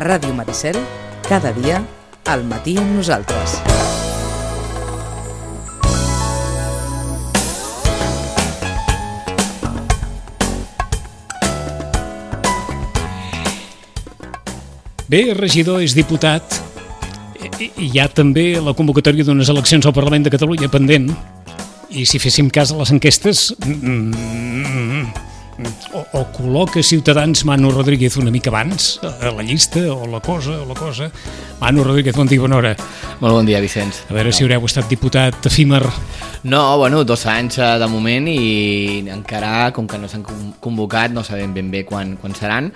Ràdio Maricel, cada dia, al matí amb nosaltres. Bé, regidor és diputat i hi ha també la convocatòria d'unes eleccions al Parlament de Catalunya pendent, i si féssim cas a les enquestes o col·loca Ciutadans Manu Rodríguez una mica abans a la llista o la cosa. Manu Rodríguez, bon dia, bona hora. Molt bon dia, Vicenç. A veure si haureu estat diputat efímer. No, bueno, 2 anys de moment i encara, com que no s'han convocat, no sabem ben bé quan seran.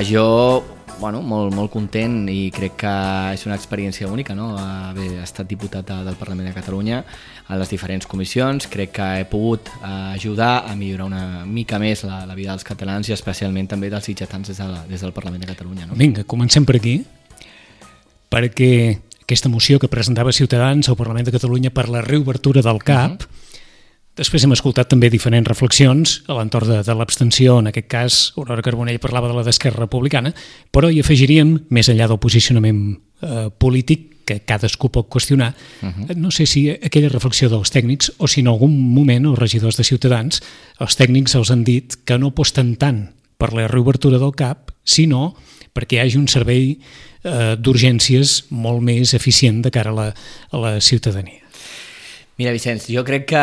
Jo, bueno, molt content i crec que és una experiència única, no?, haver estat diputat del Parlament de Catalunya a les diferents comissions. Crec que he pogut ajudar a millorar una mica més la vida dels catalans i especialment també dels sitgetans des del Parlament de Catalunya, no? Vinga, comencem per aquí, perquè aquesta moció que presentava Ciutadans al Parlament de Catalunya per la reobertura del CAP, després hem escoltat també diferents reflexions a l'entorn de l'abstenció. En aquest cas, Aurora Carbonell parlava de la d'Esquerra Republicana, però hi afegiríem, més enllà del posicionament polític, que cadascú pot qüestionar, no sé si aquella reflexió dels tècnics o si en algun moment els regidors de Ciutadans, els tècnics els han dit que no aposten tant per la reobertura del CAP, sinó perquè hi hagi un servei d'urgències molt més eficient de cara a la ciutadania. Mira, Vicenç, jo crec que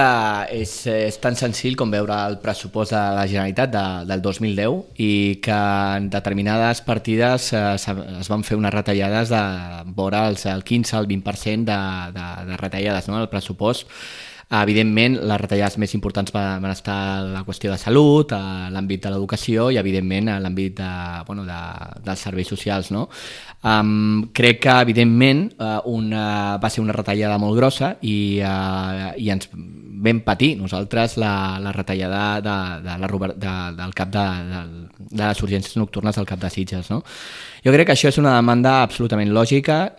és tan senzill com veure el pressupost de la Generalitat del 2010 i que en determinades partides es van fer unes retallades de vora el 15 al 20% de retallades, no?, al pressupost. Evidentment, les retallades més importants van estar a la qüestió de salut, a l'àmbit de l'educació i, evidentment, a l'àmbit dels serveis socials, no? Crec que, evidentment, va ser una retallada molt grossa i ens vam patir nosaltres la retallada del cap de les urgències nocturnes del cap de Sitges, no? Jo crec que això és una demanda absolutament lògica.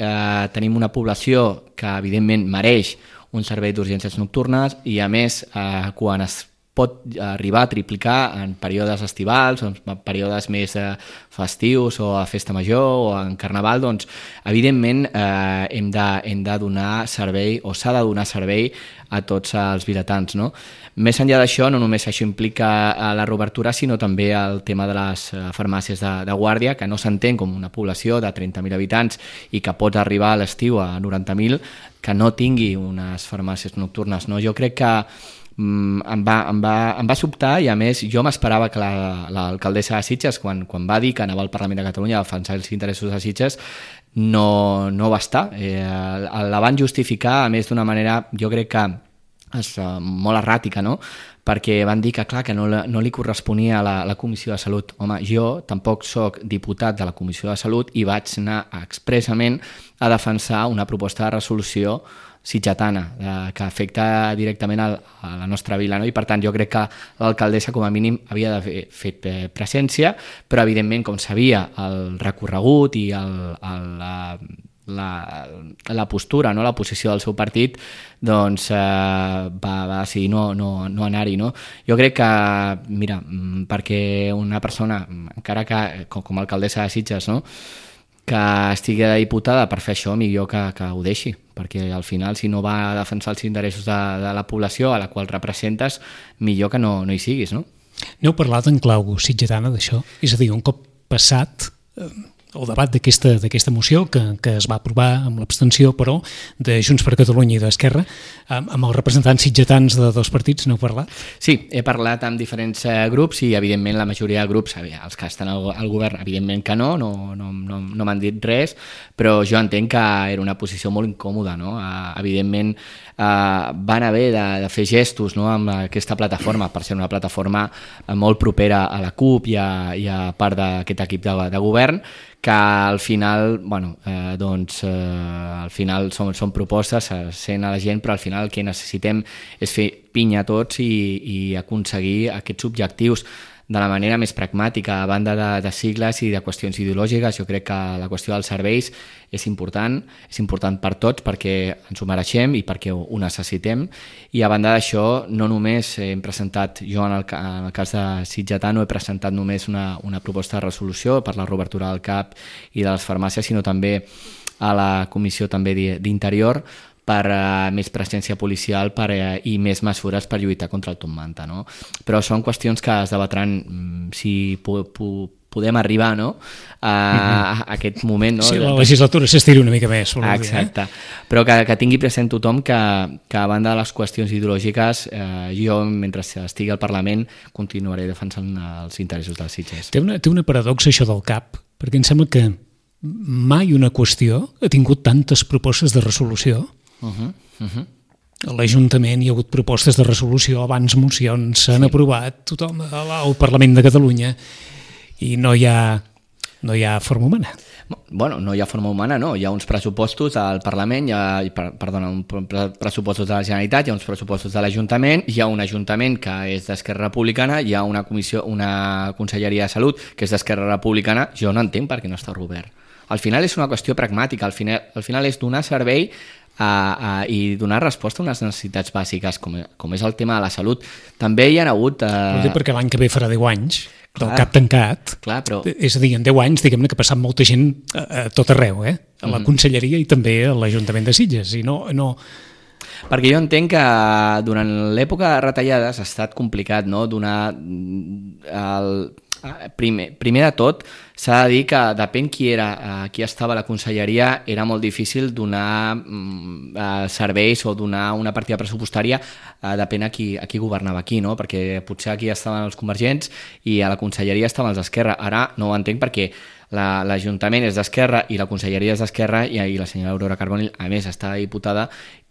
Tenim una població que, evidentment, mereix un servei d'urgències nocturnes i, a més, quan es pot arribar a triplicar en períodes estivals, en períodes més festius o a festa major o en carnaval, doncs, evidentment, hem de donar servei o s'ha de donar servei a tots els vilatans, no? Més enllà d'això, no només això implica la reobertura, sinó també el tema de les farmàcies de guàrdia, que no s'entén com una població de 30.000 habitants i que pot arribar a l'estiu a 90.000, que no tingui unes farmàcies nocturnes, no? Jo crec que em va sobtar i, a més, jo m'esperava que l'alcaldessa de Sitges, quan va dir que anava al Parlament de Catalunya a defensar els interessos de Sitges, no va estar. La van justificar, a més, d'una manera, jo crec que és molt erràtica, no?, perquè van dir que, clar, que no li corresponia a la Comissió de Salut. Home, jo tampoc soc diputat de la Comissió de Salut i vaig anar expressament a defensar una proposta de resolució sitgetana que afecta directament a la nostra vila, no? I, per tant, jo crec que l'alcaldessa, com a mínim, havia d'haver fet presència, però, evidentment, com sabia el recorregut i la postura, no?, la posició del seu partit, doncs va decidir no anar-hi, no? Jo crec que, mira, perquè una persona, encara que com a alcaldessa de Sitges, no?, que estigui diputada per fer això, millor que ho deixi, perquè al final, si no va a defensar els interessos de la població a la qual representes, millor que no hi siguis, no? N'heu parlat en clau sitgetana d'això? És a dir, un cop passat el debat d'aquesta moció que es va aprovar amb l'abstenció, però, de Junts per Catalunya i d'Esquerra, amb els representants sitgetans de dos partits, n'heu parlat? Sí, he parlat amb diferents grups i, evidentment, la majoria de grups, els que estan al govern, evidentment que no m'han dit res, però jo entenc que era una posició molt incòmoda, no? Evidentment, van haver de fer gestos, no?, amb aquesta plataforma, per ser una plataforma molt propera a la CUP i a part d'aquest equip de govern, que al final, al final són propostes, sent a la gent, però al final el que necessitem és fer pinya tots i aconseguir aquests objectius. de la manera més pragmàtica, a banda de sigles i de qüestions ideològiques. Jo crec que la qüestió dels serveis és important per tots perquè ens ho mereixem i perquè ho necessitem, i a banda d'això no només hem presentat, jo en el cas de Sitgetà no he presentat només una proposta de resolució per la reobertura del CAP i de les farmàcies, sinó també a la Comissió també d'Interior per més presència policial i més mesures per lluitar contra el top manta, no? Però són qüestions que es debatran si podem arribar, no? A aquest moment, no? Sí, la legislatura s'estiri una mica més. Exacte. Però que tingui present tothom que a banda de les qüestions ideològiques, jo, mentre estigui al Parlament, continuaré defensant els interessos dels Sitges. Té una paradoxa això del CAP, perquè em sembla que mai una qüestió ha tingut tantes propostes de resolució. A l'Ajuntament hi ha hagut propostes de resolució, abans mocions, s'han aprovat tothom al Parlament de Catalunya i no hi ha forma humana. Bueno, no hi ha forma humana, no. Hi ha uns pressupostos al Parlament, uns pressupostos de la Generalitat, hi ha uns pressupostos de l'Ajuntament, hi ha un Ajuntament que és d'Esquerra Republicana, hi ha una Conselleria de Salut que és d'Esquerra Republicana. Jo no entenc per què no està obert. Al final és una qüestió pragmàtica, al final és donar servei i donar resposta a unes necessitats bàsiques, com és el tema de la salut. També hi ha hagut... Perquè l'any que ve farà 10 anys del CAP tancat. Clar, però... És a dir, en 10 anys, diguem-ne que ha passat molta gent a tot arreu, a la Conselleria i també a l'Ajuntament de Sitges. I no... Perquè jo entenc que durant l'època de retallades ha estat complicat, no? Donar primer de tot, s'ha de dir que depèn qui estava a la conselleria, era molt difícil donar serveis o donar una partida pressupostària, depèn a qui governava aquí, no? Perquè potser aquí estaven els convergents i a la conselleria estaven els d'Esquerra. Ara no ho entenc perquè l'Ajuntament és d'Esquerra i la conselleria és d'Esquerra i la senyora Aurora Carbonell, a més, està diputada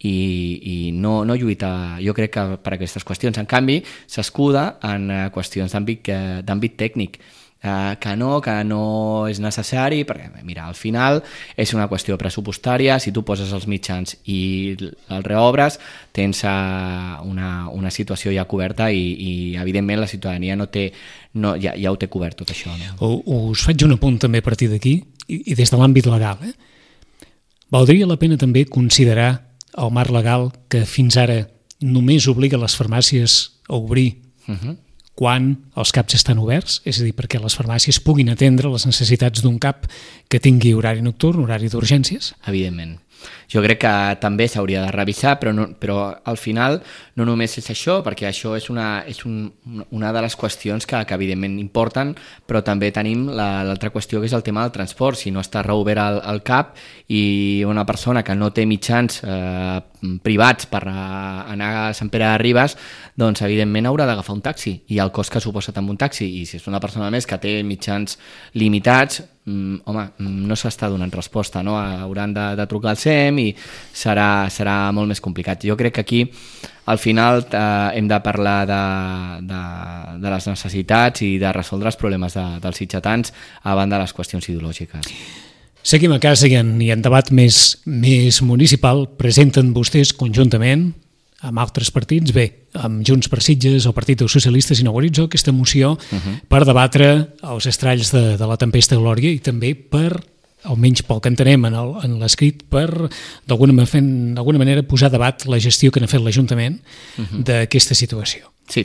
i no lluita, jo crec, que per aquestes qüestions. En canvi, s'escuda en qüestions d'àmbit tècnic, que no és necessari, perquè mira, al final és una qüestió pressupostària. Si tu poses els mitjans i el reobres, tens una situació ja coberta i evidentment la ciutadania ja ho té cobert tot això, no? Us faig un apunt també a partir d'aquí i des de l'àmbit legal. Valdria la pena també considerar el marc legal que fins ara només obliga les farmàcies a obrir quan els CAPs estan oberts, és a dir, perquè les farmàcies puguin atendre les necessitats d'un CAP que tingui horari nocturn, horari d'urgències? Evidentment. Jo crec que també s'hauria de revisar, però al final no només és això, perquè això és una de les qüestions que evidentment importen, però també tenim l'altra qüestió, que és el tema del transport. Si no està reobert el CAP i una persona que no té mitjans privats per anar a Sant Pere de Ribes, doncs evidentment haurà d'agafar un taxi, i el cost que suposa també un taxi, i si és una persona més que té mitjans limitats, no s'està donant resposta, no? Hauran de trucar al SEM i serà molt més complicat. Jo crec que aquí al final hem de parlar de les necessitats i de resoldre els problemes dels sitgetans a banda de les qüestions ideològiques. Seguim a casa i en debat més municipal. Presenten vostès conjuntament amb altres partits, amb Junts per Sitges, el Partit dels Socialistes i Nou Horitzó, aquesta moció per debatre els estralls de la tempesta Glòria i també per, almenys pel que entenem en l'escrit, per d'alguna manera posar a debat la gestió que n'ha fet l'Ajuntament d'aquesta situació. Sí.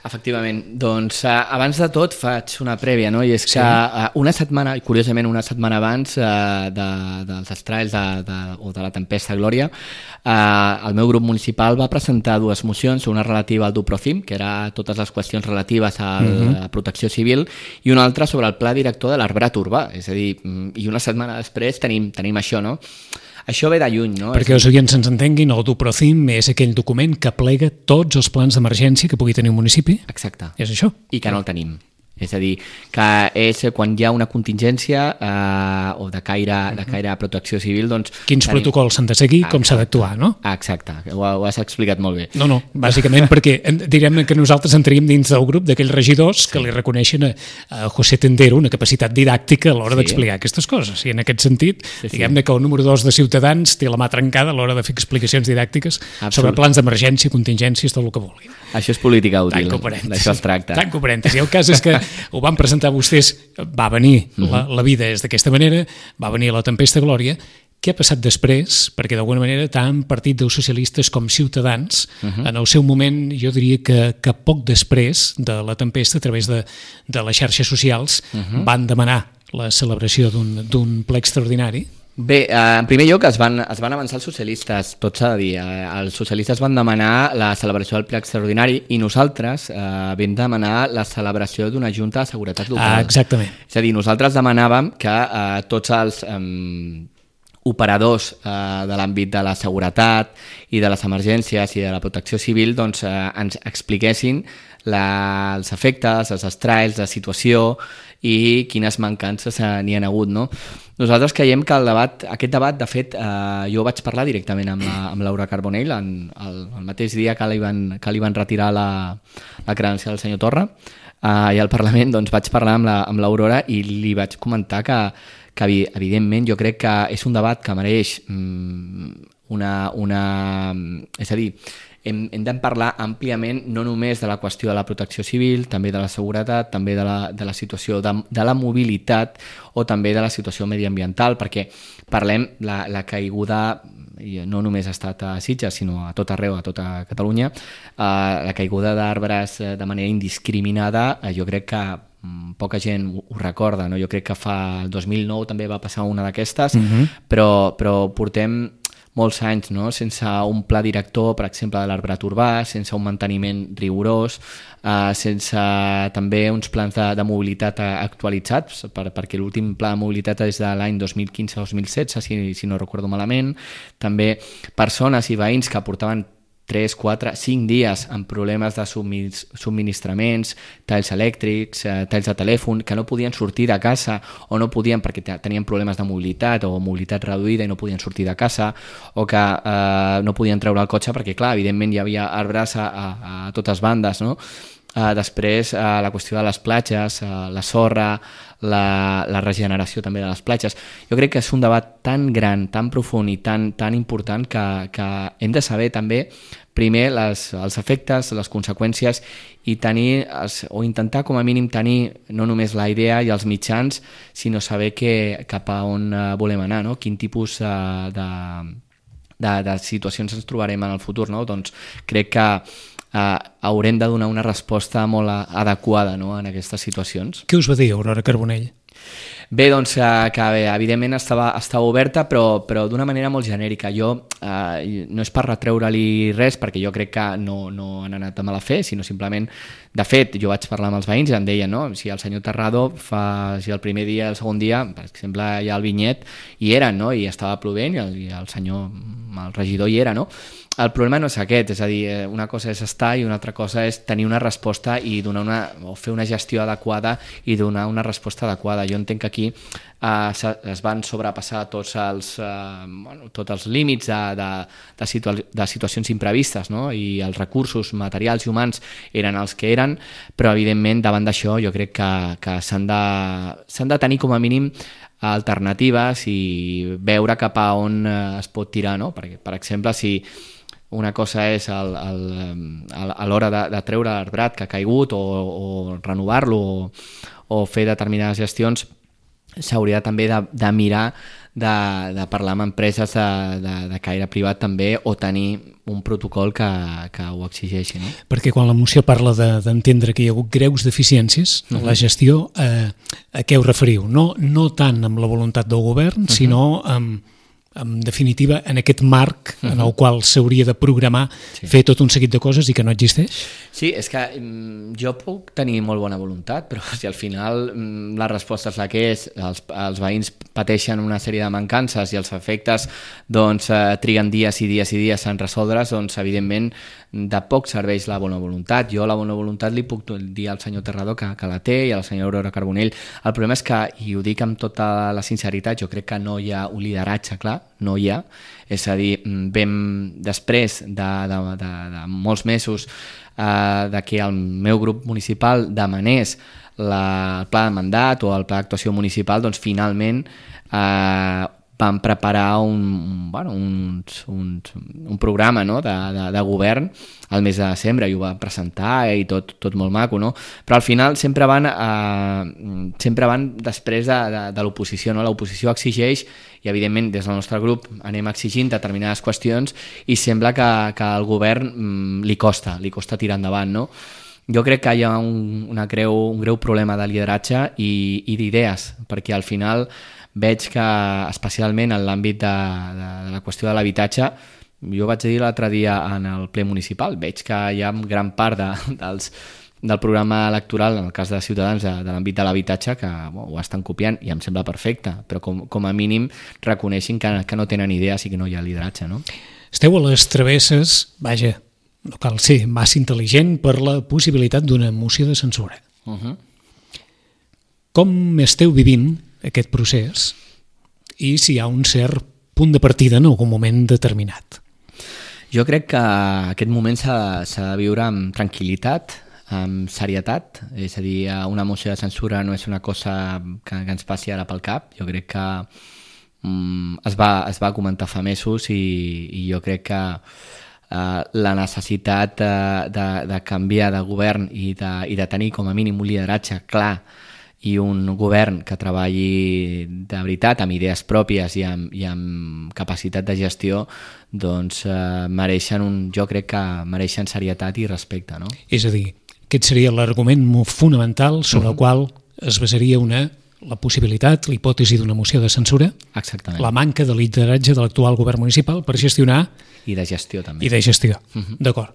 Efectivament, doncs abans de tot faig una prèvia, no? I és que una setmana abans dels estralls o de la tempesta Glòria, el meu grup municipal va presentar dues mocions, una relativa al Duprocim, que era totes les qüestions relatives a la protecció civil, i una altra sobre el pla director de l'arbrat urbà, és a dir, i una setmana després tenim això, no? Això ve de lluny, no? Perquè els oients ens entenguin, el Duprocim és aquell document que plega tots els plans d'emergència que pugui tenir un municipi. Exacte. És això. I que no el tenim. És a dir, que és quan hi ha una contingència o de caire a protecció civil, doncs... Quins protocols s'han de seguir, com s'ha d'actuar, no? Exacte, ho has explicat molt bé. No, bàsicament perquè direm que nosaltres entraríem dins del grup d'aquells regidors que li reconeixen a José Tendero una capacitat didàctica a l'hora d'explicar aquestes coses. I en aquest sentit, diguem-ne que el número 2 de Ciutadans té la mà trencada a l'hora de fer explicacions didàctiques sobre plans d'emergència, contingències, tot el que vulguin. Això és política útil. Tanco parèntesi. D'això es tracta. Tanco parèntesi. El cas és que ho van presentar vostès, va venir, la vida és d'aquesta manera, va venir la tempesta Glòria. Què ha passat després? Perquè d'alguna manera tant Partit dels Socialistes com Ciutadans, en el seu moment, jo diria que poc després de la tempesta, a través de les xarxes socials, van demanar la celebració d'un ple extraordinari. Bé, en primer lloc es van avançar els socialistes, tot s'ha de dir. Els socialistes van demanar la celebració del ple extraordinari i nosaltres vam demanar la celebració d'una junta de seguretat local. Exactament. És a dir, nosaltres demanàvem que tots els operadors de l'àmbit de la seguretat i de les emergències i de la protecció civil doncs, ens expliquessin els efectes, els estralls, la situació i quines mancances n'hi ha hagut, no? Nosaltres creiem que aquest debat, de fet, jo vaig parlar directament amb Laura Carbonell el mateix dia que li van retirar la credencial del senyor Torra, i al Parlament doncs, vaig parlar amb l'Aurora i li vaig comentar que evidentment jo crec que és un debat que mereix és a dir, hem de parlar àmpliament no només de la qüestió de la protecció civil, també de la seguretat, també de la situació de la mobilitat o també de la situació mediambiental, perquè parlem la caiguda, no només ha estat a Sitges, sinó a tot arreu, a tota Catalunya, la caiguda d'arbres de manera indiscriminada, jo crec que poca gent ho recorda, no? Jo crec que el 2009 també va passar una d'aquestes, però portem molts anys, no? Sense un pla director, per exemple, de l'arbrat urbà, sense un manteniment rigorós, sense també uns plans de mobilitat actualitzats, perquè l'últim pla de mobilitat és de l'any 2015-2016, si no recordo malament. També persones i veïns que portaven 3, 4, 5 dies amb problemes de subministraments, talls elèctrics, talls de telèfon, que no podien sortir de casa o no podien perquè tenien problemes de mobilitat o mobilitat reduïda i no podien sortir de casa, o que no podien treure el cotxe perquè, clar, evidentment hi havia arbres a totes bandes, no? Després, la qüestió de les platges, la sorra, la regeneració també de les platges. Jo crec que és un debat tan gran, tan profund i tan important que hem de saber també primer els efectes, les conseqüències i tenir, o intentar com a mínim tenir no només la idea i els mitjans, sinó saber cap a on volem anar, no? Quin tipus de situacions ens trobarem en el futur, no? Doncs crec que haurem de donar una resposta molt adequada, no?, en aquestes situacions. Què us va dir Aurora Carbonell? Bé, doncs que evidentment estava oberta, però d'una manera molt genèrica. Jo no és per retreure-li res, perquè jo crec que no han anat de mala fe, sinó simplement, de fet, jo vaig parlar amb els veïns i em deien, no?, si el senyor Terrado si el primer dia, el segon dia, per exemple, hi ha el vinyet, hi eren, no?, i estava plovent i el senyor, el regidor hi era, no? El problema no és aquest, és a dir, una cosa és estar i una altra cosa és tenir una resposta i o fer una gestió adequada i donar una resposta adequada. Jo entenc que aquí es van sobrepassar tots els límits de situacions imprevistes, no? I els recursos materials i humans eren els que eren, però evidentment davant d'això jo crec que s'han de tenir com a mínim alternatives i veure cap a on es pot tirar, no? Perquè, per exemple, si una cosa és a l'hora de treure l'arbrat que ha caigut o renovar-lo o fer determinades gestions, s'hauria també de mirar de parlar amb empreses de caire privat també o tenir un protocol que ho exigeixi, no? Perquè quan la moció parla d'entendre que hi ha hagut greus deficiències en la gestió, a què us referiu? No tant amb la voluntat del govern, sinó en definitiva, en aquest marc en el qual s'hauria de programar, fer tot un seguit de coses i que no existeix? Sí, és que jo puc tenir molt bona voluntat, però si al final la resposta és la que és, els veïns pateixen una sèrie de mancances i els efectes doncs, triguen dies i dies i dies en resoldre's, doncs evidentment de poc serveix la bona voluntat. Jo la bona voluntat li puc dir al senyor Terrado que la té i a la senyora Aurora Carbonell. El problema és que, i ho dic amb tota la sinceritat, jo crec que no hi ha un lideratge clar, no hi ha. És a dir, després de molts mesos de que el meu grup municipal demanés el pla de mandat o el pla d'actuació municipal, doncs finalment van preparar un programa, no?, de govern al mes de desembre, i ho van presentar i tot molt maco, no? Però al final sempre van després de l'oposició, no? L'oposició exigeix, i evidentment des del nostre grup anem exigint determinades qüestions, i sembla que al govern li costa tirar endavant, no? Jo crec que hi ha un greu problema de lideratge i d'idees, perquè al final veig que, especialment en l'àmbit de la qüestió de l'habitatge, jo vaig dir l'altre dia en el ple municipal, veig que hi ha gran part del programa electoral, en el cas de Ciutadans, de l'àmbit de l'habitatge, que ho estan copiant, i em sembla perfecte, però com a mínim reconeixin que no tenen idees i que no hi ha lideratge, no? Esteu a les travesses, vaja, no cal ser massa intel·ligent per la possibilitat d'una moció de censura. Com esteu vivint aquest procés i si hi ha un cert punt de partida en algun moment determinat? Jo crec que aquest moment s'ha de viure amb tranquil·litat, amb serietat, és a dir, una moció de censura no és una cosa que ens passi ara pel cap. Jo crec que es va comentar fa mesos i jo crec que la necessitat de canviar de govern i de tenir com a mínim un lideratge clar i un govern que treballi de veritat amb idees pròpies i amb capacitat de gestió, doncs jo crec que mereixen serietat i respecte, no? És a dir, aquest seria l'argument fonamental sobre el qual es basaria la possibilitat, la hipòtesi d'una moció de censura. Exactament. La manca de lideratge de l'actual govern municipal per gestionar... I de gestió, també. I de gestió, d'acord.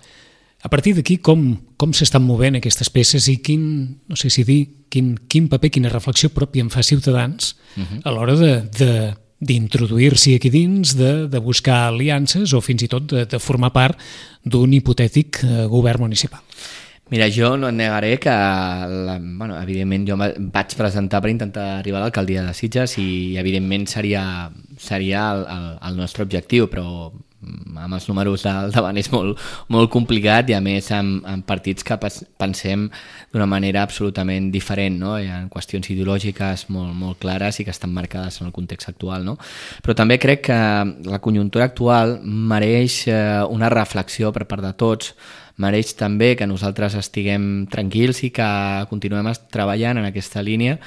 A partir d'aquí, com s'estan movent aquestes peces i quin paper, quina reflexió pròpia en fa Ciutadans a l'hora d'introduir-s'hi aquí dins, de buscar aliances o fins i tot de formar part d'un hipotètic govern municipal? Mira, jo no et negaré que, evidentment, jo vaig presentar per intentar arribar a l'alcaldia de Sitges i, evidentment, seria el nostre objectiu, però amb els números al davant és molt complicat i, a més, amb partits que pensem d'una manera absolutament diferent, no? Hi ha qüestions ideològiques molt clares i que estan marcades en el context actual, no? Però també crec que la conjuntura actual mereix una reflexió per part de tots, mereix també que nosaltres estiguem tranquils i que continuem treballant en aquesta línia,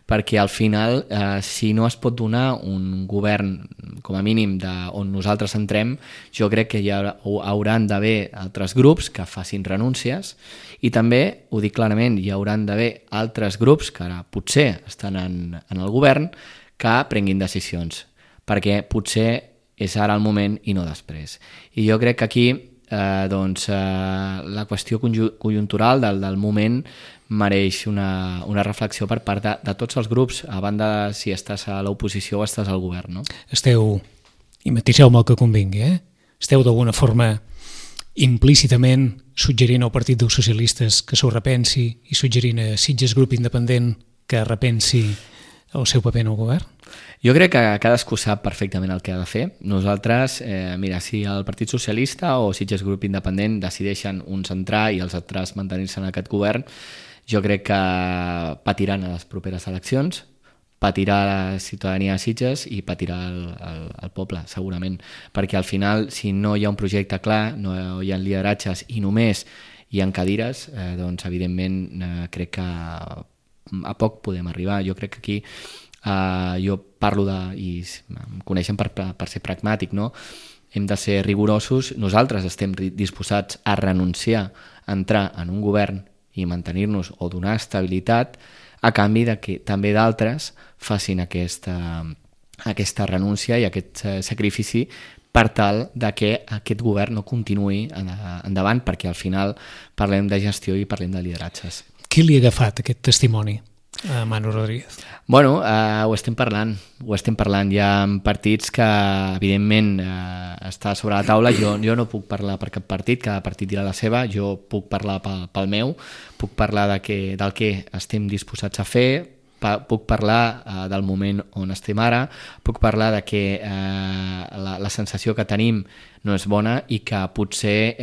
perquè al final, si no es pot donar un govern, com a mínim, on nosaltres entrem, jo crec que hi hauran d'haver altres grups que facin renúncies i també, ho dic clarament, hi hauran d'haver altres grups que ara potser estan en el govern que prenguin decisions, perquè potser és ara el moment i no després. I jo crec que aquí la qüestió conjuntural del moment mereix una reflexió per part de tots els grups, a banda de si estàs a l'oposició o estàs al govern, no? Esteu, i matiseu-me el que convingui, esteu d'alguna forma implícitament suggerint al Partit dels Socialistes que s'ho repensi i suggerint a Sitges Grup Independent que repensi el seu paper en el govern? Jo crec que cadascú sap perfectament el que ha de fer. Nosaltres, mira, si el Partit Socialista o Sitges Grup Independent decideixen uns entrar i els altres mantenir-se en aquest govern, jo crec que patiran a les properes eleccions, patirà la ciutadania de Sitges i patirà el poble, segurament. Perquè al final, si no hi ha un projecte clar, no hi ha lideratges i només hi ha cadires, doncs evidentment crec que a poc podem arribar. Jo crec que aquí jo parlo i em coneixen per ser pragmàtic, no? Hem de ser rigorosos. Nosaltres estem disposats a renunciar a entrar en un govern i mantenir-nos o donar estabilitat a canvi de que també d'altres facin aquesta renúncia i aquest sacrifici per tal de que aquest govern no continuï endavant, perquè al final parlem de gestió i parlem de lideratges. Qui li ha agafat aquest testimoni a Manu Rodríguez? Bueno, ho estem parlant. Hi ha partits que, evidentment, està sobre la taula. Jo no puc parlar per cap partit, cada partit dirà la seva. Jo puc parlar pel meu, puc parlar del que estem disposats a fer, puc parlar del moment on estem ara, puc parlar de que la sensació que tenim no és bona i que potser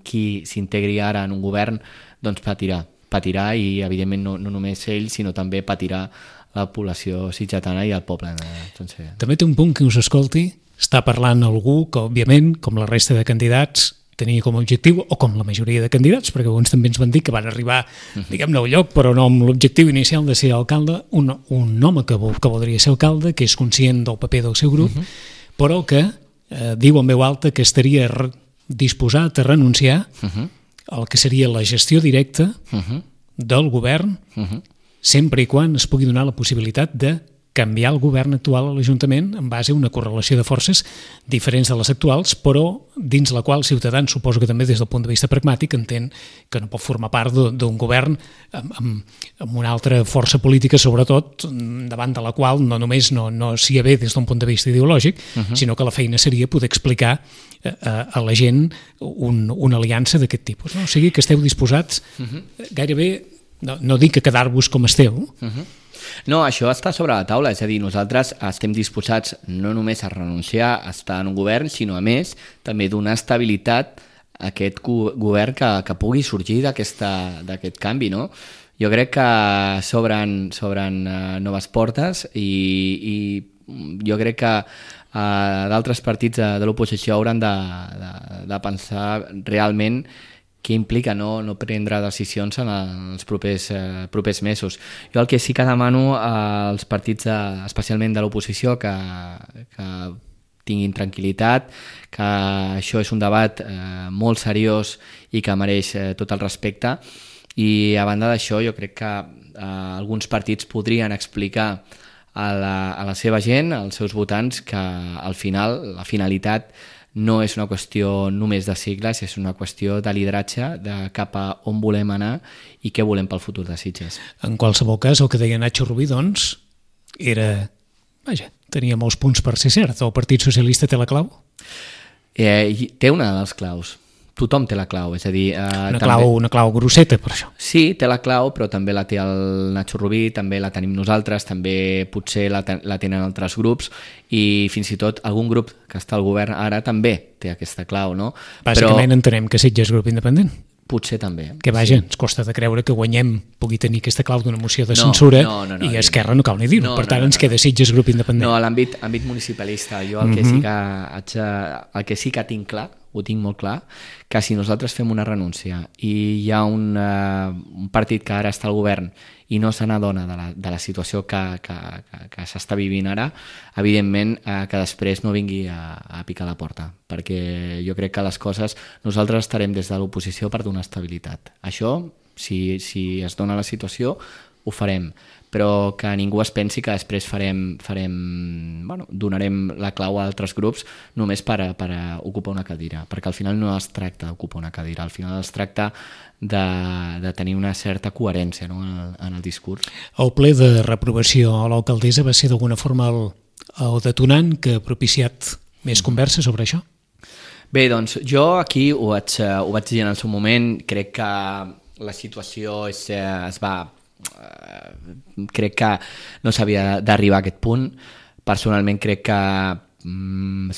qui s'integri ara en un govern doncs patirà i evidentment no només ell sinó també patirà la població sitgetana i el poble sencer. També té un punt que us escolti, està parlant algú que, òbviament, com la resta de candidats, tenia com a objectiu, o com la majoria de candidats, perquè alguns també ens van dir que van arribar, diguem-ne, a un lloc, però no amb l'objectiu inicial de ser alcalde, un home que voldria ser alcalde, que és conscient del paper del seu grup, però que diu en veu alta que estaria disposat a renunciar al que seria la gestió directa del govern, sempre i quan es pugui donar la possibilitat de canviar el govern actual a l'Ajuntament en base a una correlació de forces diferents de les actuals, però dins la qual Ciutadans, suposo que també des del punt de vista pragmàtic, entén que no pot formar part d'un govern amb una altra força política, sobretot, davant de la qual no només no s'hi ve des d'un punt de vista ideològic, sinó que la feina seria poder explicar a la gent una aliança d'aquest tipus. O sigui que esteu disposats gairebé, no dic a quedar-vos com esteu, no, això està sobre la taula, és a dir, nosaltres estem disposats no només a renunciar a estar en un govern, sinó a més també donar estabilitat a aquest govern que pugui sorgir d'aquest canvi, no? Jo crec que s'obren noves portes i jo crec que d'altres partits de l'oposició hauran de pensar realment què implica no prendre decisions en els propers mesos. Jo el que sí que demano als partits, especialment de l'oposició, que tinguin tranquil·litat, que això és un debat molt seriós i que mereix tot el respecte, i a banda d'això jo crec que alguns partits podrien explicar a la seva gent, als seus votants, que al final la finalitat no és una qüestió només de sigles, és una qüestió de lideratge, de cap a on volem anar i què volem pel futur de Sitges. En qualsevol cas, el que deia Nacho Rubí, doncs, era... Vaja, tenia molts punts per ser cert. El Partit Socialista té la clau? Té una de les claus. Tothom té la clau, és a dir... Una clau grosseta, per això. Sí, té la clau, però també la té el Nacho Rubí, també la tenim nosaltres, també potser la tenen altres grups, i fins i tot algun grup que està al govern ara també té aquesta clau, no? Bàsicament entenem que Sitges és grup independent. Potser també. Que vaja, ens costa de creure que Guanyem pugui tenir aquesta clau d'una moció de censura i Esquerra no cal ni dir-ho. Per tant, ens queda Sitges grup independent. No, a l'àmbit municipalista, jo el que sí que tinc clar, ho tinc molt clar, que si nosaltres fem una renúncia i hi ha un partit que ara està al govern i no se n'adona de la situació que s'està vivint ara, evidentment que després no vingui a picar la porta, perquè jo crec que les coses, nosaltres estarem des de l'oposició per donar estabilitat. Això, si es dona la situació, ho farem, però que ningú es pensi que després donarem la clau a altres grups només per ocupar una cadira, perquè al final no es tracta d'ocupar una cadira, al final es tracta de tenir una certa coherència, no, en el discurs. El ple de reprovació a l'alcaldessa va ser d'alguna forma el detonant que ha propiciat més conversa sobre això? Bé, doncs jo aquí ho vaig dir en el seu moment, crec que la situació crec que no s'havia d'arribar a aquest punt. Personalment crec que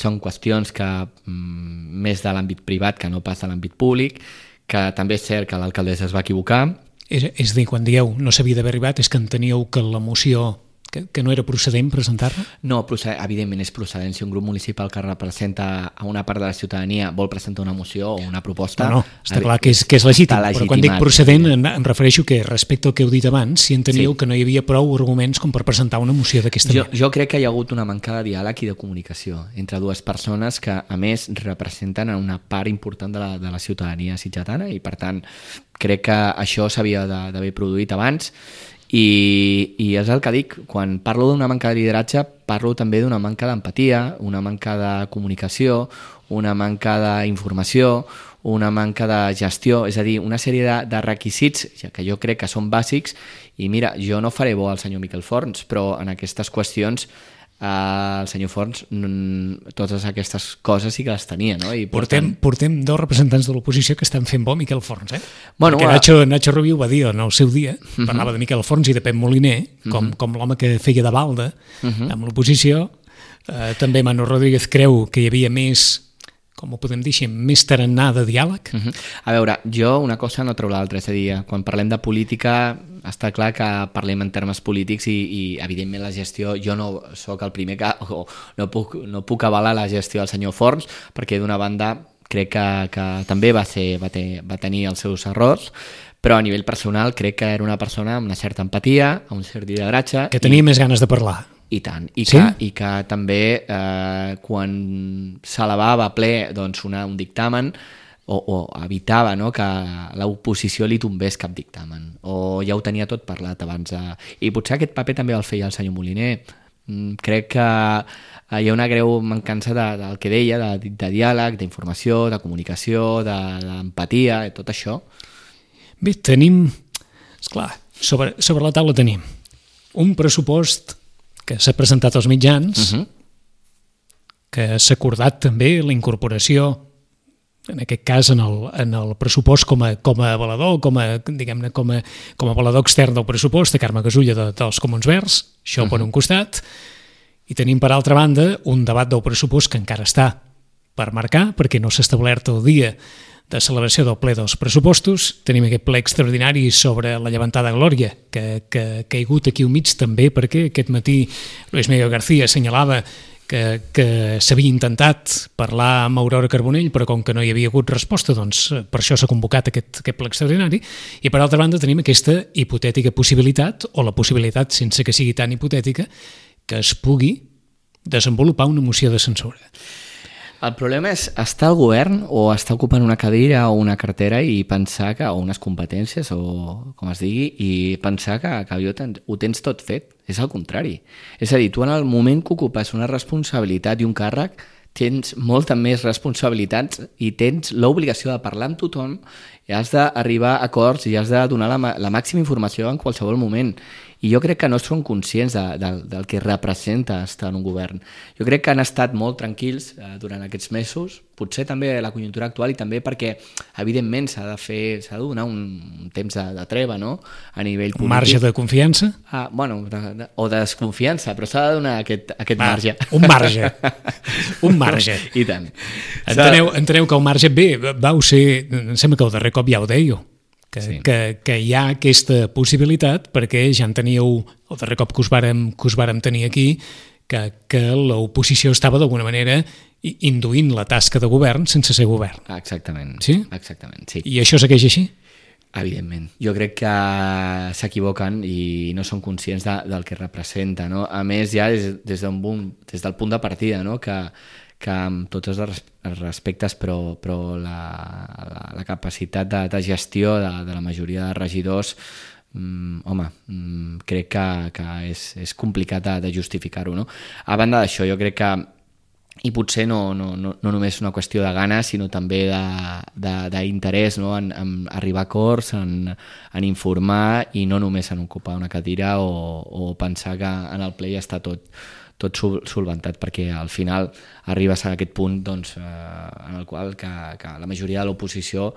són qüestions que més de l'àmbit privat que no pas de l'àmbit públic, que també és cert que l'alcaldessa es va equivocar. És a dir, quan dieu no s'havia d'haver arribat, és que enteníeu que la moció que no era procedent presentar-la? No, evidentment és procedent. Si un grup municipal que representa a una part de la ciutadania vol presentar una moció o una proposta... No, està clar que és legítim, però quan dic procedent em refereixo que respecte al que heu dit abans, si enteníeu que no hi havia prou arguments com per presentar una moció d'aquesta manera. Jo crec que hi ha hagut una manca de diàleg i de comunicació entre dues persones que, a més, representen una part important de la ciutadania sitgetana i, per tant, crec que això s'havia d'haver produït abans. I és el que dic, quan parlo d'una manca de lideratge parlo també d'una manca d'empatia, una manca de comunicació, una manca d'informació, una manca de gestió, és a dir, una sèrie de requisits que jo crec que són bàsics. I mira, jo no faré bo al senyor Miquel Forns, però en aquestes qüestions el senyor Forns totes aquestes coses sí que les tenia, no? I portem dos representants de l'oposició que estan fent bo Miquel Forns, Bueno, perquè Nacho Rubí ho va dir en el seu dia, parlava de Miquel Forns i de Pep Moliner com l'home que feia de balda amb l'oposició. També Manu Rodríguez creu que hi havia més com ho podem dir així, més tarannà de diàleg? A veure, jo una cosa no treu l'altra, és a dir, quan parlem de política està clar que parlem en termes polítics i evidentment la gestió, jo no sóc el primer que no puc avalar la gestió del senyor Forns, perquè d'una banda crec que també va tenir els seus errors, però a nivell personal crec que era una persona amb una certa empatia, amb un cert lideratge. Que tenia més ganes de parlar. I tant, i sí? que també quan s'elevava a ple doncs, un dictamen o evitava, no, que l'oposició li tombés cap dictamen, o ja ho tenia tot parlat abans. I potser aquest paper també el feia el senyor Moliner. Crec que hi ha una greu mancança del que deia, de diàleg, d'informació, de comunicació, d'empatia, tot això. Bé, tenim, esclar, sobre la taula tenim un pressupost que s'ha presentat als mitjans, que s'ha acordat també la incorporació, en aquest cas en el pressupost com a avalador, com a avalador extern del pressupost, de Carme Gasulla dels Comuns Verds, això per un costat, i tenim per altra banda un debat del pressupost que encara està per marcar, perquè no s'ha establert el dia de celebració del ple dels pressupostos. Tenim aquest ple extraordinari sobre la llevantada Glòria, que ha caigut aquí al mig també perquè aquest matí Luis Miguel García assenyalava que s'havia intentat parlar amb Aurora Carbonell, però com que no hi havia hagut resposta, doncs per això s'ha convocat aquest ple extraordinari. I per altra banda tenim aquesta hipotètica possibilitat, o la possibilitat sense que sigui tan hipotètica, que es pugui desenvolupar una moció de censura. El problema és estar al govern o estar ocupant una cadira o una cartera i pensar que, o unes competències o com es digui, i pensar que ho tens tot fet. És el contrari. És a dir, tu en el moment que ocupes una responsabilitat i un càrrec tens molta més responsabilitats i tens l'obligació de parlar amb tothom i has d'arribar a acords i has de donar la màxima informació en qualsevol moment. I jo crec que no són conscients del que representa estar en un govern. Jo crec que han estat molt tranquils durant aquests mesos, potser també la conjuntura actual i també perquè, evidentment, s'ha de donar un temps de treva, no?, a nivell polític. Un marge de confiança? Bueno, o de desconfiança, però s'ha de donar aquest marge. Un marge. Un marge. I tant. Enteneu que el marge, bé, vau ser, em sembla que el darrer cop ja ho dèieu, que hi ha aquesta possibilitat, perquè ja en teníeu, el darrer cop que us vàrem tenir aquí, que l'oposició estava d'alguna manera induint la tasca de govern sense ser govern. Exactament. Sí? Exactament, sí. I això segueix així? Evidentment. Jo crec que s'equivoquen i no són conscients del que representa, no? A més, ja des del punt de partida, no?, que amb tots els respectes, però la capacitat de gestió de la majoria de regidors, crec que és complicat de justificar-ho, no? A banda d'això, jo crec que, i potser no només una qüestió de ganes, sinó també d'interès, no?, en arribar a acords, en informar i no només en ocupar una cadira o pensar que en el ple ja està tot solventat, perquè al final arribes a aquest punt doncs, en el qual que la majoria de l'oposició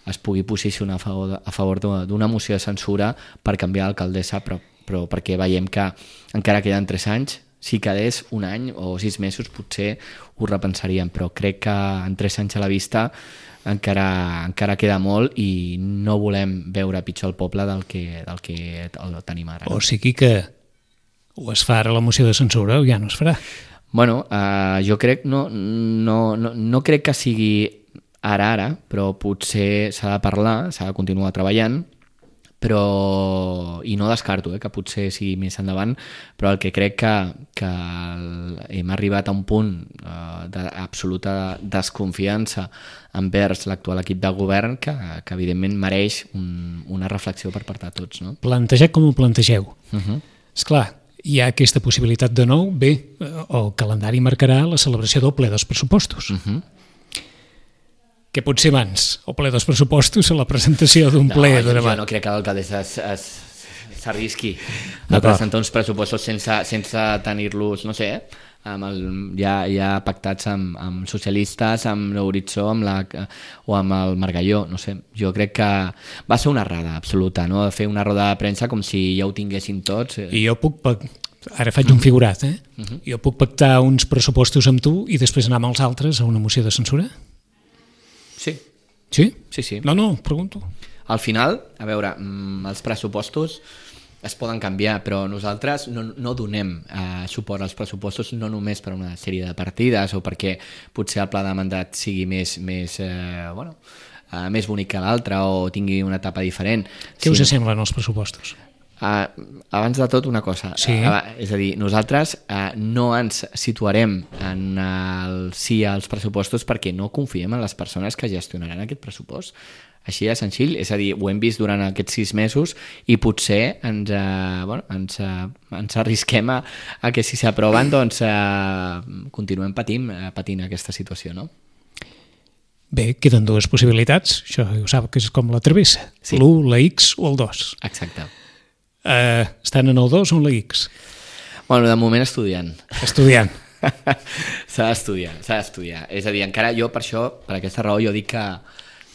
es pugui posicionar a favor d'una moció de censura per canviar l'alcaldessa, però perquè veiem que encara queden 3 anys, si quedés un any o 6 mesos potser ho repensaríem, però crec que en 3 anys a la vista encara queda molt i no volem veure pitjor el poble del que el tenim ara. O sigui que o es fa ara la moció de censura o ja no es farà. Bueno, jo crec, no crec que sigui ara, però potser s'ha de parlar, s'ha de continuar treballant, i no descarto que potser sigui més endavant, però el que crec que hem arribat a un punt d'absoluta desconfiança envers l'actual equip de govern que evidentment mereix una reflexió per part de tots, no? Plantejat com ho plantegeu. Esclar, hi ha aquesta possibilitat de nou, bé, el calendari marcarà la celebració del ple dels pressupostos. Què pot ser abans? El ple dels pressupostos o la presentació d'un ple de demà? Jo no crec que l'alcaldessa s'arrisqui a presentar uns pressupostos sense tenir-los, no sé, ja pactats amb socialistes, amb l'Horitzó o amb el Margalló, no sé. Jo crec que va ser una errada absoluta, no?, de fer una roda de premsa com si ja ho tinguessin tots. I jo ara faig un figurat, jo puc pactar uns pressupostos amb tu i després anar amb els altres a una moció de censura? Sí. Sí? Sí. No, pregunto. Al final, a veure, els pressupostos es poden canviar, però nosaltres no donem suport als pressupostos no només per una sèrie de partides o perquè potser el pla de mandat sigui més bonic que l'altre o tingui una etapa diferent. Què us semblen els pressupostos? Abans de tot una cosa, sí. És a dir, nosaltres no ens situarem en el sí als pressupostos perquè no confiem en les persones que gestionaran aquest pressupost. Així de senzill, és a dir, ho hem vist durant aquests 6 mesos i potser ens arrisquem a que si s'aproven doncs continuem patint aquesta situació, no? Bé, queden dues possibilitats, això ho sap que és com la travessa, sí. L'1, la X o el 2. Exacte. Estan en el 2 o en la X? Bueno, de moment estudiant. Estudiant. S'ha d'estudiar. És a dir, encara jo per això, per aquesta raó, jo dic que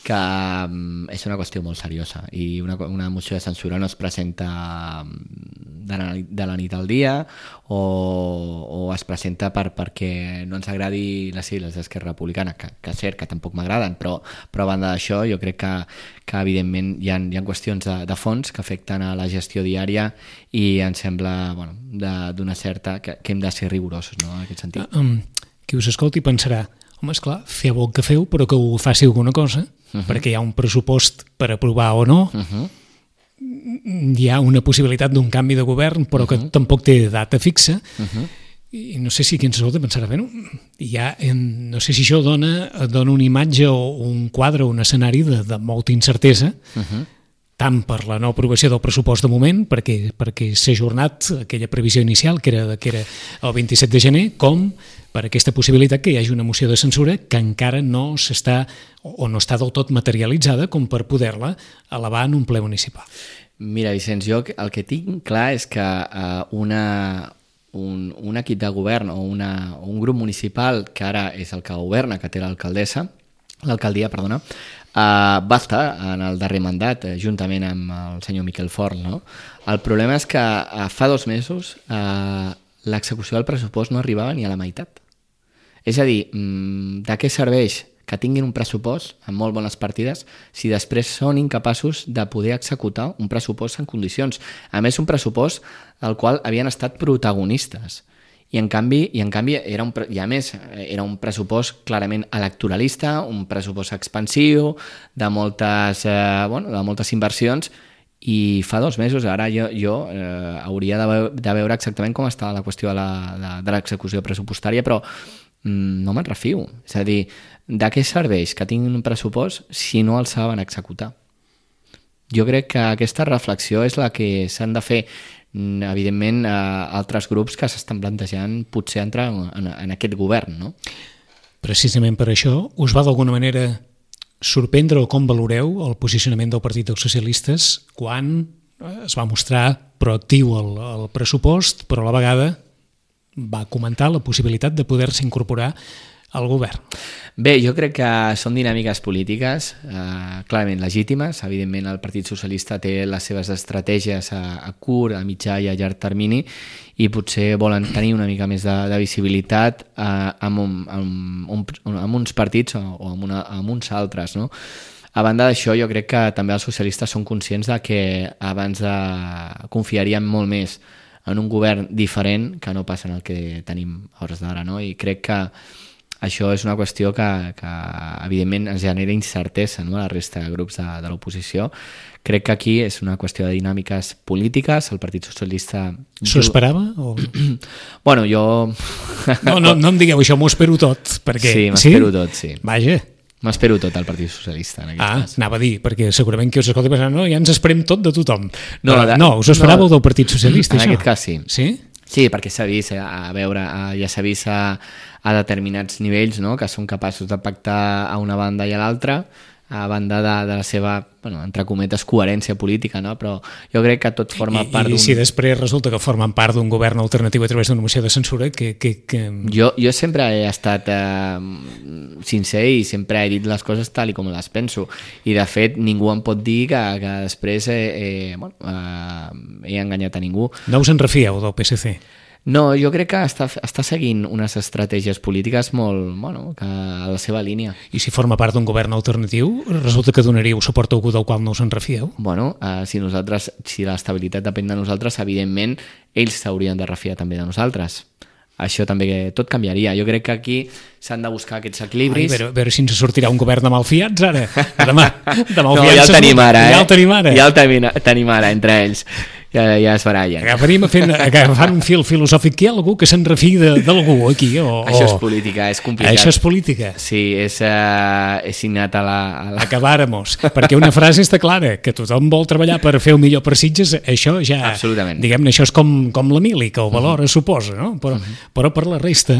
és una qüestió molt seriosa i una moció de censura no es presenta de la nit al dia o es presenta perquè no ens agradi les sigles d'Esquerra Republicana, que és cert que tampoc m'agraden, però a banda d'això jo crec que evidentment hi ha qüestions de fons que afecten a la gestió diària i em sembla d'una certa que hem de ser rigorosos, no, en aquest sentit. Qui us escolti pensarà, home, esclar, feu el que feu però que ho faci alguna cosa, perquè hi ha un pressupost per aprovar o no, hi ha una possibilitat d'un canvi de govern però que tampoc té data fixa, i no sé si qui ens escolta pensarà, bé, no sé si això dona una imatge o un quadre o un escenari de molta incertesa, tant per la no aprovació del pressupost de moment, perquè s'ha ajornat aquella previsió inicial, que era el 27 de gener, com per aquesta possibilitat que hi hagi una moció de censura que encara no s'està o no està del tot materialitzada com per poder-la elevar en un ple municipal. Mira, Vicenç, jo el que tinc clar és que un equip de govern o un grup municipal que ara és el que governa, que té l'alcaldia, va estar en el darrer mandat juntament amb el senyor Miquel Forn, no? El problema és que fa 2 mesos l'execució del pressupost no arribava ni a la meitat. És a dir, de què serveix que tinguin un pressupost amb molt bones partides si després són incapaços de poder executar un pressupost en condicions? A més, un pressupost al qual havien estat protagonistes. I en canvi era un pressupost clarament electoralista, un pressupost expansiu, de moltes inversions, i fa 2 mesos, ara jo hauria de veure exactament com està la qüestió de l'execució pressupostària, però no me'n refio. És a dir, de què serveix que tinguin un pressupost si no el saben executar? Jo crec que aquesta reflexió és la que s'han de fer, evidentment, altres grups que s'estan plantejant potser entrar en aquest govern, no? Precisament per això, us va d'alguna manera sorprendre o com valoreu el posicionament del Partit dels Socialistes quan es va mostrar proactiu el pressupost, però a la vegada va comentar la possibilitat de poder-se incorporar al govern? Bé, jo crec que són dinàmiques polítiques clarament legítimes. Evidentment, el Partit Socialista té les seves estratègies a curt, a mitjà i a llarg termini i potser volen tenir una mica més de visibilitat amb uns partits o amb uns altres, no? A banda d'això, jo crec que també els socialistes són conscients de que abans confiarien molt més en un govern diferent que no passa en el que tenim a hores d'ara, no? I crec que això és una qüestió que evidentment ens genera incertesa, no?, a la resta de grups de l'oposició. Crec que aquí és una qüestió de dinàmiques polítiques. El Partit Socialista... S'ho esperava? O... Bueno, jo... No em digueu això, m'ho espero tot. Perquè... Sí, m'espero tot, sí. Vaja. M'espero tot al Partit Socialista, en aquest cas. Anava a dir, perquè segurament que us escolta pensant, no, ja ens esperem tot de tothom. Us ho esperàveu del Partit Socialista, això? En aquest cas, sí. Sí? Sí, perquè s'ha vist, ja s'ha vist a determinats nivells, no?, que són capaços de pactar a una banda i a l'altra, a banda de la seva, entre cometes, coherència política, no? Però jo crec que tot forma part d'un... I si després resulta que formen part d'un govern alternatiu a través d'una moció de censura, que... Jo sempre he estat sincer i sempre he dit les coses tal i com les penso. I, de fet, ningú em pot dir que després he enganyat a ningú. No us en refieu del PSC? No, jo crec que està seguint unes estratègies polítiques molt, que a la seva línia. I si forma part d'un govern alternatiu, resulta que donaríeu suport a algú del qual no us en refieu? Si l'estabilitat depèn de nosaltres, evidentment, ells s'haurien de refiar també de nosaltres. Això també tot canviaria. Jo crec que aquí s'han de buscar aquests equilibris. A veure si ens sortirà un govern de malfiats ara. Demà no, ja el tenim ara, Ja el tenim ara, entre ells. Ja es barallen. Agafant un fil filosòfic, que hi ha algú que se'n refiï d'algú aquí? Això és política, és complicat. Això és política? Sí, és innat a la... Acabàremos, perquè una frase està clara, que tothom vol treballar per fer el millor per Sitges, això ja... Absolutament. Diguem-ne, això és com la mili, que ho valora, suposa, no? Però per la resta...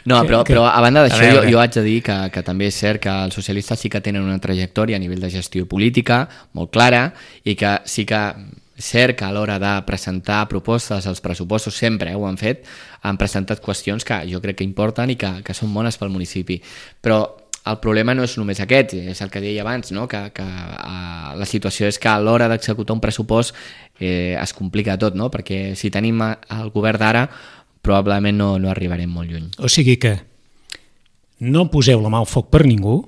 No, però a banda d'això, jo haig de dir que també és cert que els socialistes sí que tenen una trajectòria a nivell de gestió política molt clara i que sí que és cert que a l'hora de presentar propostes als pressupostos sempre ho han fet, han presentat qüestions que jo crec que importen i que són bones pel municipi. Però el problema no és només aquest, és el que deia abans, no? que la situació és que a l'hora d'executar un pressupost es complica tot, no? Perquè si tenim el govern d'ara probablement no arribarem molt lluny. O sigui que no poseu la mà al foc per ningú.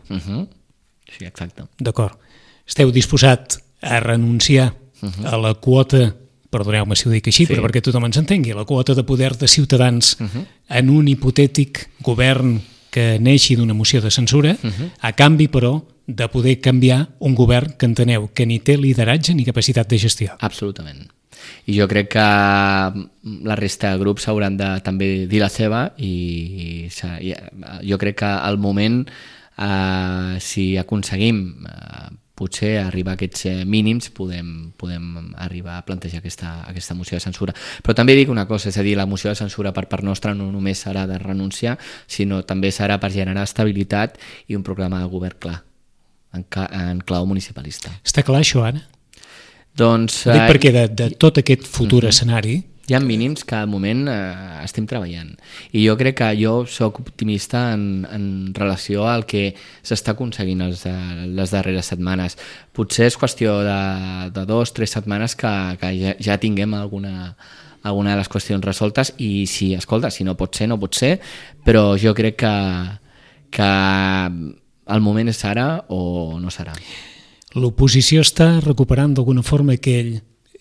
Sí, exacte. D'acord. Esteu disposat a renunciar a la quota, perdoneu-me si ho dic així, però perquè tothom ens entengui, la quota de poder de Ciutadans en un hipotètic govern que neixi d'una moció de censura, a canvi, però, de poder canviar un govern que enteneu que ni té lideratge ni capacitat de gestió. Absolutament. I jo crec que la resta de grups hauran de també dir la seva i jo crec que al moment, si aconseguim potser arribar a aquests mínims podem arribar a plantejar aquesta moció de censura. Però també dic una cosa, és a dir, la moció de censura per part nostra no només serà de renunciar, sinó també serà per generar estabilitat i un programa de govern clar, en clau municipalista. Està clar això, Anna? Doncs... Dic perquè de tot aquest futur escenari... Hi ha mínims que al moment estem treballant. I jo crec que jo soc optimista en relació al que s'està aconseguint les darreres setmanes. Potser és qüestió de 2 o 3 setmanes que ja tinguem alguna de les qüestions resoltes i si no pot ser, no pot ser, però jo crec que el moment és ara o no serà. L'oposició està recuperant d'alguna forma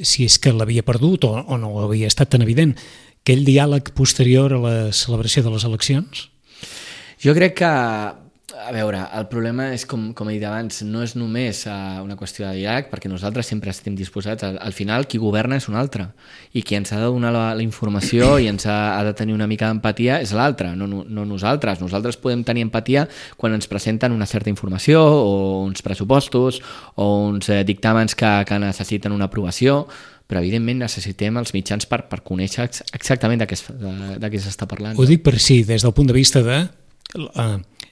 si és que l'havia perdut o no havia estat tan evident, aquell diàleg posterior a la celebració de les eleccions? Jo crec que, a veure, el problema és, com he dit abans, no és només una qüestió de diàleg, perquè nosaltres sempre estem disposats. Al final, qui governa és un altre, i qui ens ha de donar la informació i ens ha de tenir una mica d'empatia és l'altre, no nosaltres. Nosaltres podem tenir empatia quan ens presenten una certa informació o uns pressupostos o uns dictàmens que necessiten una aprovació, però evidentment necessitem els mitjans per conèixer exactament de què s'està parlant. Ho dic per si, des del punt de vista de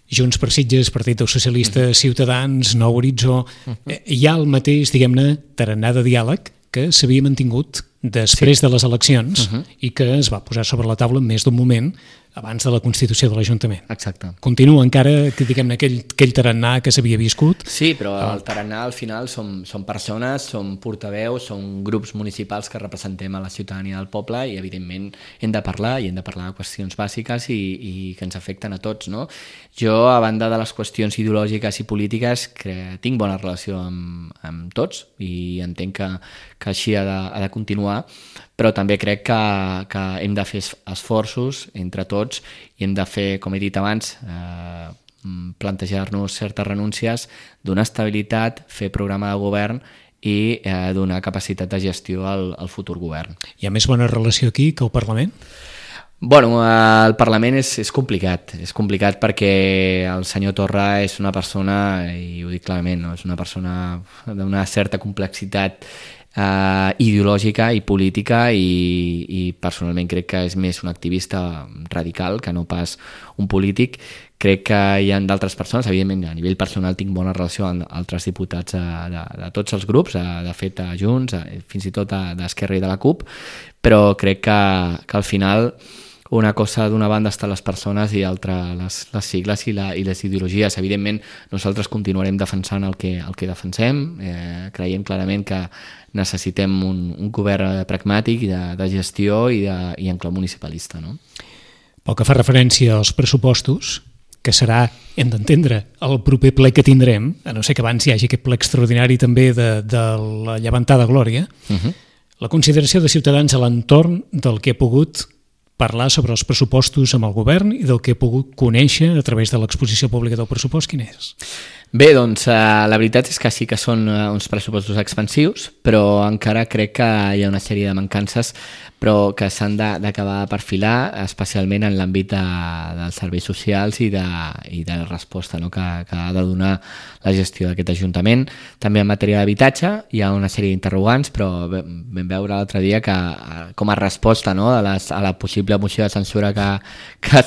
Junts per Sitges, Partit dels Socialistes, Ciutadans, Nou Horitzó, hi ha el mateix, diguem-ne, tarannà de diàleg que s'havia mantingut després de les eleccions i que es va posar sobre la taula en més d'un moment abans de la constitució de l'Ajuntament. Exacte. Continua encara, diguem-ne, aquell tarannà que s'havia viscut. Sí, però el tarannà al final som persones, som portaveus, som grups municipals que representem a la ciutadania del poble i evidentment hem de parlar de qüestions bàsiques i que ens afecten a tots, no? Jo, a banda de les qüestions ideològiques i polítiques, tinc bona relació amb tots i entenc que així ha de continuar, però també crec que hem de fer esforços entre tots i hem de fer, com he dit abans, plantejar-nos certes renúncies, donar estabilitat, fer programa de govern i donar capacitat de gestió al futur govern. Hi ha més bona relació aquí que al Parlament? Bueno, el Parlament és complicat perquè el senyor Torra és una persona, i ho dic clarament, no? És una persona d'una certa complexitat ideològica i política i personalment crec que és més un activista radical que no pas un polític. Crec que hi ha d'altres persones, evidentment a nivell personal tinc bona relació amb altres diputats de tots els grups, de fet a Junts, fins i tot d'Esquerra i de la CUP, però crec que al final una cosa d'una banda estan les persones i altra les sigles i les ideologies. Evidentment, nosaltres continuarem defensant el que defensem. Creiem clarament que necessitem un govern pragmàtic de gestió i en clau municipalista, no? Pel que fa referència als pressupostos, que serà, hem d'entendre, el proper ple que tindrem, a no ser que abans hi hagi aquest ple extraordinari també de la llevantada glòria, la consideració de Ciutadans a l'entorn del que ha pogut parlar sobre els pressupostos amb el govern i del que he pogut conèixer a través de l'exposició pública del pressupost, quin és? Bé, doncs la veritat és que sí que són uns pressupostos expansius, però encara crec que hi ha una sèrie de mancances però que s'han d'acabar de perfilar, especialment en l'àmbit dels serveis socials i de la resposta, no?, que ha de donar la gestió d'aquest Ajuntament. També en matèria d'habitatge hi ha una sèrie d'interrogants, però vam veure l'altre dia que com a resposta, no?, a la possible moció de censura que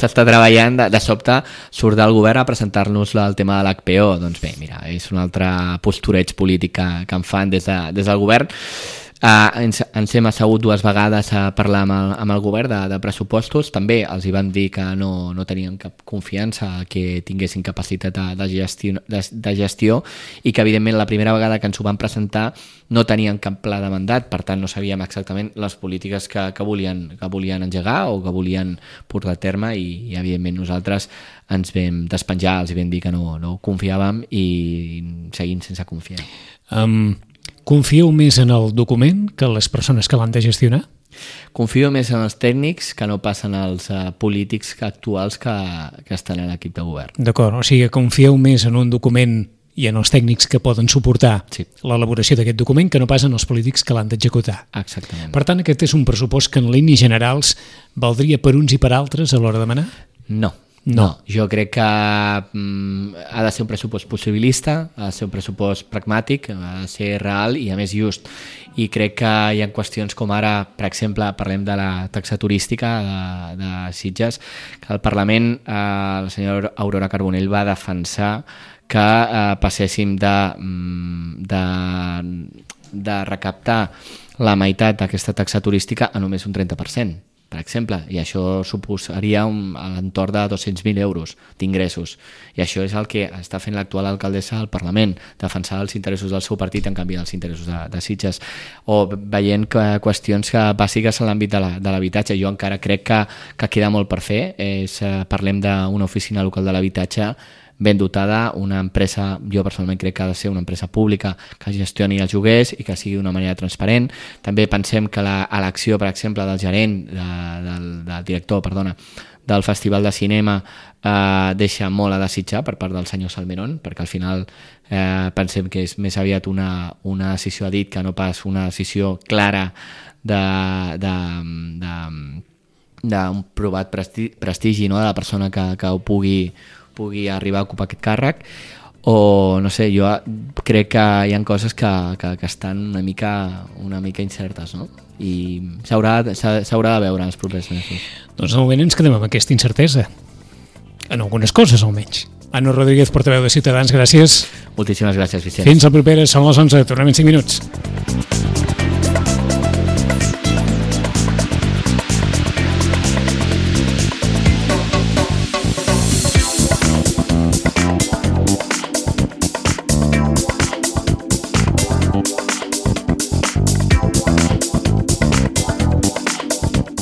s'està treballant, de sobte surt del govern a presentar-nos el tema de l'HPO. Doncs bé, mira, és un altre postureig polític que en fan des del govern. Ens hem assegut 2 vegades a parlar amb el govern de pressupostos. També els hi van dir que no tenien cap confiança que tinguessin capacitat de gestió i que evidentment la primera vegada que ens ho van presentar no tenien cap pla de mandat, per tant no sabíem exactament les polítiques que volien engegar o que volien portar a terme i evidentment nosaltres ens vam despenjar, els vam dir que no confiàvem i seguim sense confiar. Confieu més en el document que en les persones que l'han de gestionar? Confio més en els tècnics que no pas en els polítics actuals que estan a l'equip de govern. D'acord, o sigui, confieu més en un document i en els tècnics que poden suportar l'elaboració d'aquest document que no pas en els polítics que l'han d'executar. Exactament. Per tant, aquest és un pressupost que en línies generals valdria per uns i per altres a l'hora de manar? No, jo crec que ha de ser un pressupost possibilista, ha de ser un pressupost pragmàtic, ha de ser real i a més just. I crec que hi ha qüestions com ara, per exemple, parlem de la taxa turística de Sitges, que el Parlament, la senyora Aurora Carbonell va defensar que passéssim de recaptar la meitat d'aquesta taxa turística a només un 30%. Per exemple, i això suposaria a l'entorn de 200.000 euros d'ingressos. I això és el que està fent l'actual alcaldessa al Parlament, defensar els interessos del seu partit en canvi dels interessos de Sitges. O veient qüestions bàsiques en l'àmbit de l'habitatge. Jo encara crec que queda molt per fer. Parlem d'una oficina local de l'habitatge ben dotada, una empresa, jo personalment crec que ha de ser una empresa pública que gestioni els lloguers i que sigui d'una manera transparent. També pensem que l'elecció, per exemple, del gerent, del director, del Festival de Cinema deixa molt a desitjar per part del senyor Salmerón, perquè al final pensem que és més aviat una decisió a dit que no pas una decisió clara d'un provat prestigi, no?, de la persona que ho pugui arribar a ocupar aquest càrrec. O no sé, jo crec que hi ha coses que estan una mica incertes, no? I s'haurà de veure en els propers mesos. Doncs de moment ens quedem amb aquesta incertesa, en algunes coses almenys. Anna Rodríguez, portaveu de Ciutadans, gràcies. Moltíssimes gràcies, Vicenç. Fins la propera, són les 11, tornem en 5 minuts.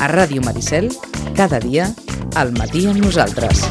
A Ràdio Maricel, cada dia, al matí amb nosaltres.